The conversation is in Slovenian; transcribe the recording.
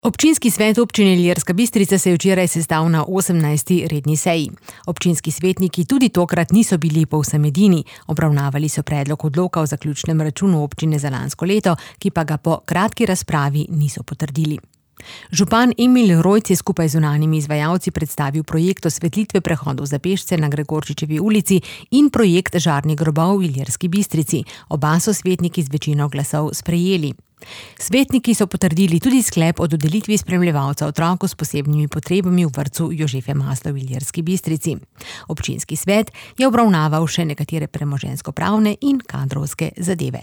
Občinski svet občine Ilirska Bistrica se je včeraj sestal na 18. redni seji. Občinski svetniki tudi tokrat niso bili povsem edini. Obravnavali so predlog odloka o zaključnem računu občine za lansko leto, ki pa ga po kratki razpravi niso potrdili. Župan Emil Rojc je skupaj z zunanjimi izvajalci predstavil projekt osvetlitve prehodov za pešce na Gregorčičevi ulici in projekt žarnih grobov v Ilirski Bistrici. Oba so svetniki z večino glasov sprejeli. Svetniki so potrdili tudi sklep o dodelitvi spremljevalca otroku s posebnimi potrebami v vrtcu Jožefe Masla v Ilirski Bistrici. Občinski svet je obravnaval še nekatere premoženjsko-pravne in kadrovske zadeve.